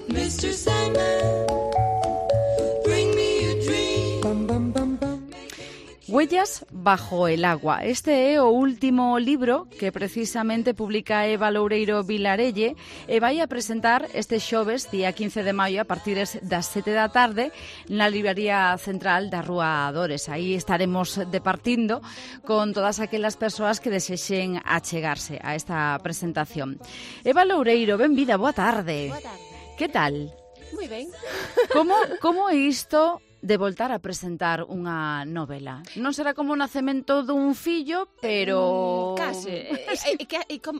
Mr. Sandman, bring me a dream. Huellas bajo el agua. Este é o último libro que precisamente publica Eva Loureiro Vilarelle e vai a presentar este xoves, día 15 de maio, a partir das 7 da tarde, na librería central da Rúa Dores. Aí estaremos departindo con todas aquelas persoas que desexen achegarse a esta presentación. Eva Loureiro, benvida, boa tarde. Boa tarde. Que tal? Moi ben. Como é isto de voltar a presentar unha novela? Non será como o nacemento dun fillo, pero... Case.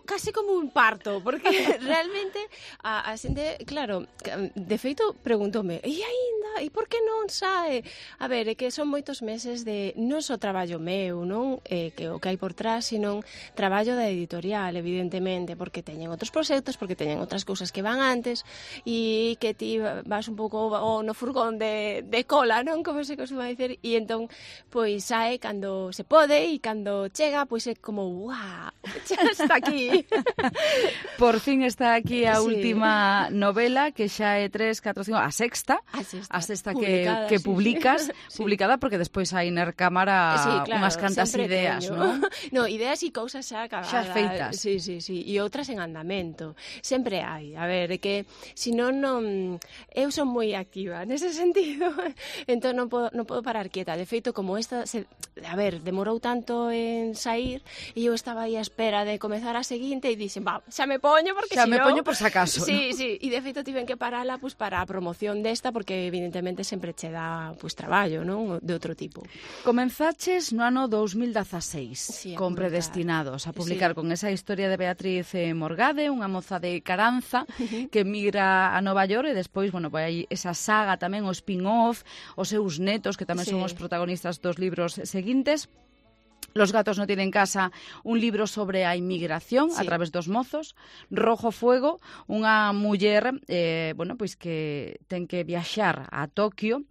Case como un parto, porque realmente a xente, claro, de feito preguntoume, e aínda, e por que non sae? A ver, é que son moitos meses de non só traballo meu, non? Que o que hai por trás, sino traballo da editorial, evidentemente, porque teñen outros proxectos, porque teñen outras cousas que van antes, e que ti vas un pouco no furgón de cola, non? Como se costuma dicer, e entón pois sae cando se pode e cando chega pois é como ¡guau! Xa está aquí. Por fin está aquí a Sí. última novela, que xa é 3, 4, 5, a sexta Publicada, que sí, publicas, sí. publicada porque despois hai na recámara Sí, claro, unhas cantas sempre ideas, teño. non? No, ideas e cousas xa acabadas. Xa feitas. Sí, e outras en andamento. Sempre hai. A ver, é que senón non... Eu son moi activa nese sentido. Entón non podo parar quieta. De feito, como esta... A ver, demorou tanto en sair e eu estaba aí a espera de comezar a seguinte e dixen, xa me poño porque Xa si me non... poño por si acaso, Sí, e de feito tiven que parala pues, para a promoción desta porque evidentemente sempre che dá pues, traballo, non? De outro tipo. Comenzaches no ano 2016 Sí, con publicar. Predestinados a publicar Sí. con esa historia de Beatriz Morgade, unha moza de Caranza que migra a Nova York e despois, bueno, vai esa saga tamén, o spin-off, os seus netos que tamén Sí. son os protagonistas dos libros seguintes. Los gatos no tienen casa, un libro sobre a inmigración a Sí. través dos mozos. Rojo Fuego, unha muller bueno, pois que ten que viaxar a Tokio,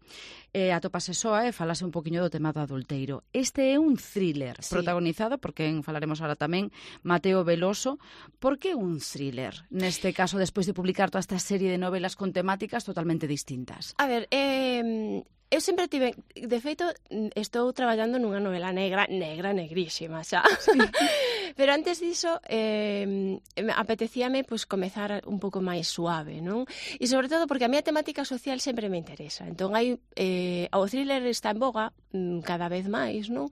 atopase soa e falase un poquinho do tema do adulteiro. Este é un thriller Sí. protagonizado por quen falaremos ahora tamén, Mateo Veloso. Por que un thriller? Neste caso, despois de publicar toda esta serie de novelas con temáticas totalmente distintas. A ver, eu sempre tive... De feito, estou traballando nunha novela negrísima, xa. Sí. Pero antes diso, apetecíame pues, comezar un pouco máis suave, non? E sobre todo porque a miña temática social sempre me interesa. Entón, o thriller está en boga cada vez máis, non?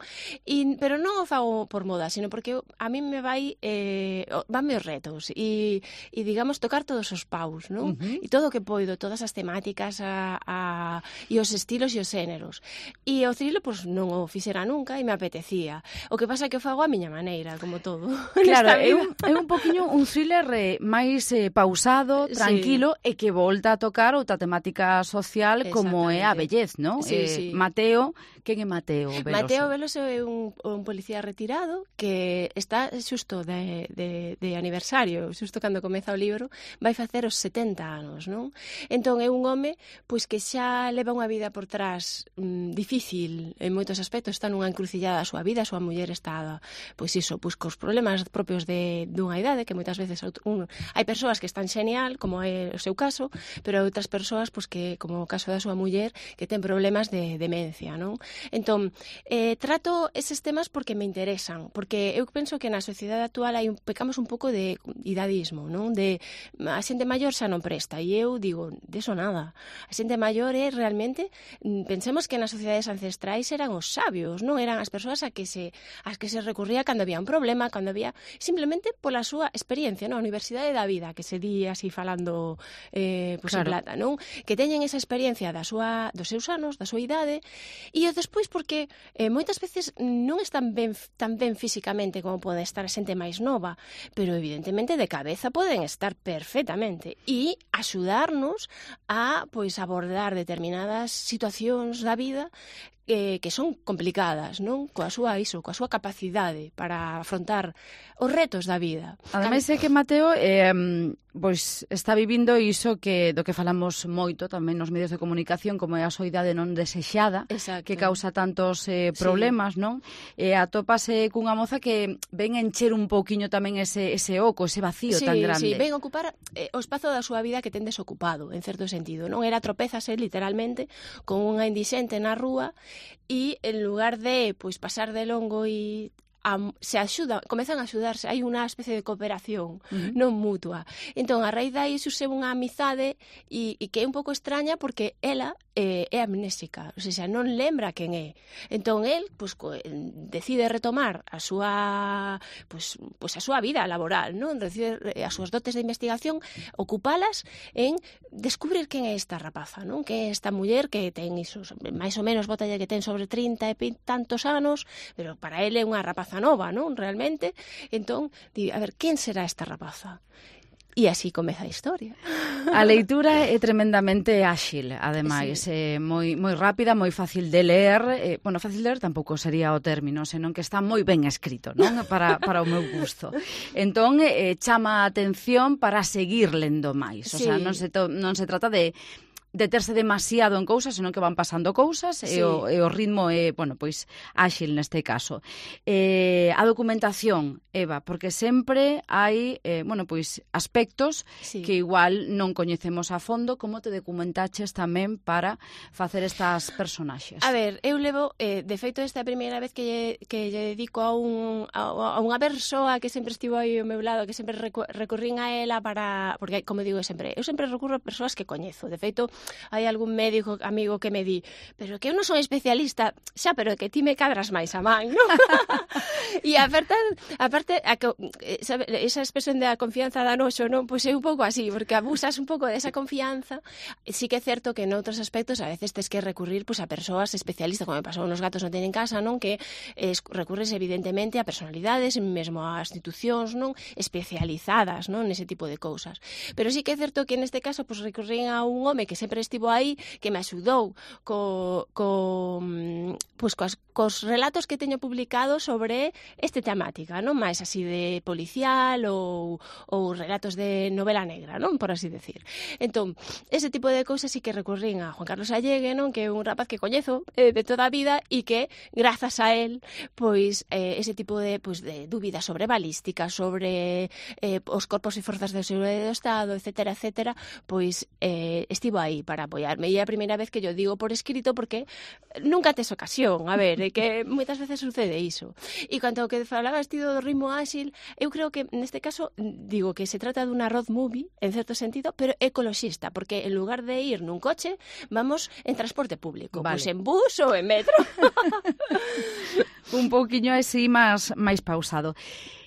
Pero non o fago por moda, sino porque a mí me vanme os retos e digamos, tocar todos os paus, non? E todo o que poido, todas as temáticas e os estilos e os xéneros. E o thriller, pois, non o fixera nunca e me apetecía. O que pasa é que o fago a miña maneira, como todo. Claro, é un poquinho un thriller máis pausado, tranquilo, Sí. e que volta a tocar outra temática social como é a vellez, non? Sí. Mateo, quen é Mateo Veloso? Mateo Veloso é un policía retirado que está xusto de aniversario, xusto cando comeza o libro, vai facer os 70 anos, non? Entón é un home pois que xa leva unha vida por trás difícil en moitos aspectos, está nunha encrucillada a súa vida, a súa muller está, pois iso, pois cos problemas propios dunha idade, que moitas veces hai persoas que están xenial, como é o seu caso, pero hai outras persoas, pois que, como o caso da súa muller, que ten problemas de demencia, non? Entón, trato eses temas porque me interesan, porque eu penso que na sociedade actual pecamos un pouco de idadismo, non? De a xente maior xa non presta, e eu digo, deso nada. A xente maior é realmente, pensemos que nas sociedades ancestrais eran os sabios, non eran as persoas as que se recurría cando había un problema, cando había simplemente pola súa experiencia, non? A universidade da vida, que se di así falando pois claro. En plata, non? Que teñen esa experiencia dos seus anos, da súa idade, e despois porque moitas veces non están tan ben físicamente como pode estar a xente máis nova, pero evidentemente de cabeza poden estar perfectamente e axudarnos a pois abordar determinadas situacións da vida que son complicadas, non? Coa súa capacidade para afrontar os retos da vida. Ademais é que Mateo pois está vivindo iso do que falamos moito tamén nos medios de comunicación, como é a soidade non desexada, Exacto. que causa tantos problemas, non? Atópase cunha moza que ven encher un pouquiño tamén ese oco, ese vacío tan grande. Sí, ven ocupar o espazo da súa vida que ten desocupado, en certo sentido, non? Era tropézase literalmente con unha indixente na rúa e en lugar de pasar de longo e se axuda, comezan a axudarse, hai unha especie de cooperación non mutua. Entón, a raíz dai surxe unha amizade e que é un pouco extraña porque ela é amnésica, ou seja, non lembra quen é. Entón, el decide retomar a súa a súa vida laboral, non? Decide as súas dotes de investigación, ocupalas en descubrir quen é esta rapaza, non? Que é esta muller que ten iso, máis ou menos botalle que ten sobre 30 e tantos anos, pero para ele é unha rapaza nova, non? Realmente. Entón, a ver, quen será esta rapaza? E así comeza a historia. A leitura é tremendamente áxil, ademais, moi rápida, moi fácil de ler. Fácil de ler tampouco sería o término, senón que está moi ben escrito, non? Para o meu gusto. Entón, chama a atención para seguir lendo máis. O sea, non se trata de deterse demasiado en cousas, senón que van pasando cousas e o ritmo é, áxil neste caso. A documentación, Eva, porque sempre hai, aspectos que igual non coñecemos a fondo. Como te documentaches tamén para facer estas personaxes? A ver, eu levo, de feito, esta primeira vez que lle dedico a unha persoa que sempre estivo aí ao meu lado, que sempre recurrín a ela porque, como digo sempre, eu sempre recurro a persoas que coñezo. De feito, hai algún médico amigo que me di, pero que eu non son especialista, xa, pero que ti me cadras máis a man, non? E aparte, esa expresión da confianza da noxo, non? Pois é un pouco así, porque abusas un pouco desa confianza. Sí que é certo que en outros aspectos a veces tes que recurrir a persoas especialistas, como me pasou nos gatos non teñen casa, non? Que recurres evidentemente a personalidades, mesmo a institucións, non? Especializadas, non? Nese tipo de cousas. Pero sí que é certo que neste caso recurrín a un home que sempre estivo aí, que me axudou cos relatos que teño publicados sobre esta temática, non? Mais así de policial ou relatos de novela negra, non? Por así decir. Entón, ese tipo de cousas sí que recurrín a Juan Carlos Allegue, non? Que é un rapaz que coñezo de toda a vida e que, grazas a él, ese tipo de dúbidas sobre balística, sobre os corpos e forzas de seguridade do Estado, etcétera, estivo aí para apoiarme. E é a primeira vez que yo digo por escrito porque nunca tes ocasión. A ver, é que moitas veces sucede iso. E canto ao que falaba do ritmo áxil, eu creo que neste caso digo que se trata dun road movie, en certo sentido, pero ecoloxista, porque en lugar de ir nun coche, vamos en transporte público. Vale. Pois en bus ou en metro. Un pouquiño así máis pausado.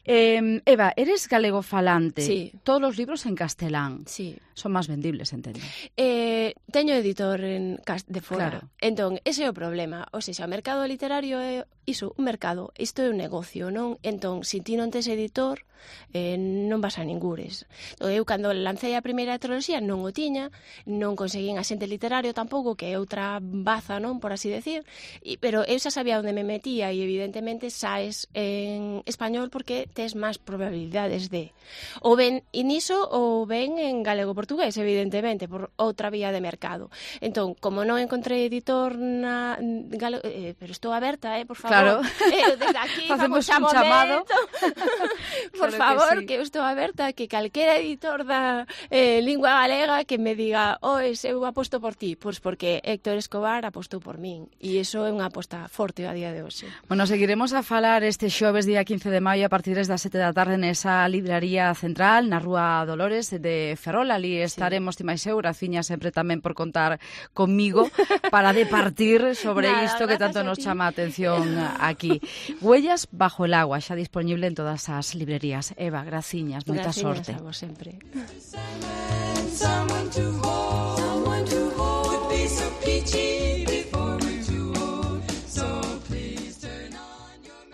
Eva, eres galego falante. Sí. Todos os libros en castelán. Sí. Son máis vendibles, entendo. Teño editor de fora. Claro. Entón, ese é o problema. O sea, o mercado literario é iso, un mercado. Isto é un negocio, non? Entón, se ti non tes editor, non vas a ningures. Eu, cando lancei a primeira triloxía, non o tiña, non conseguín axente literario tampouco, que é outra baza, non? Por así decir. Pero eu xa sabía onde me metía e, evidentemente, saes en español porque tes máis probabilidades de ou ben iniso ou ben en galego-portugués, evidentemente, por outra vía de mercado. Entón, como non encontrei editor pero estou aberta, por favor. Claro. Desde aquí facemos un chamado. Por favor, que eu estou aberta a que calquera editor da lingua galega que me diga, eu aposto por ti, pois porque Héctor Escobar apostou por min. E iso é unha aposta forte a día de hoxe. Bueno, seguiremos a falar este xoves día 15 de maio a partir das 7 da tarde nesa libraría central na Rúa Dolores de Ferrol. Ali estaremos, ti máis eu, Graciña, sempre tamén por contar comigo para departir sobre isto que tanto nos chama a atención aquí. Huellas bajo el agua, xa disponible en todas as librerías. Eva, graciñas, moita sorte. Graciñas a vos sempre.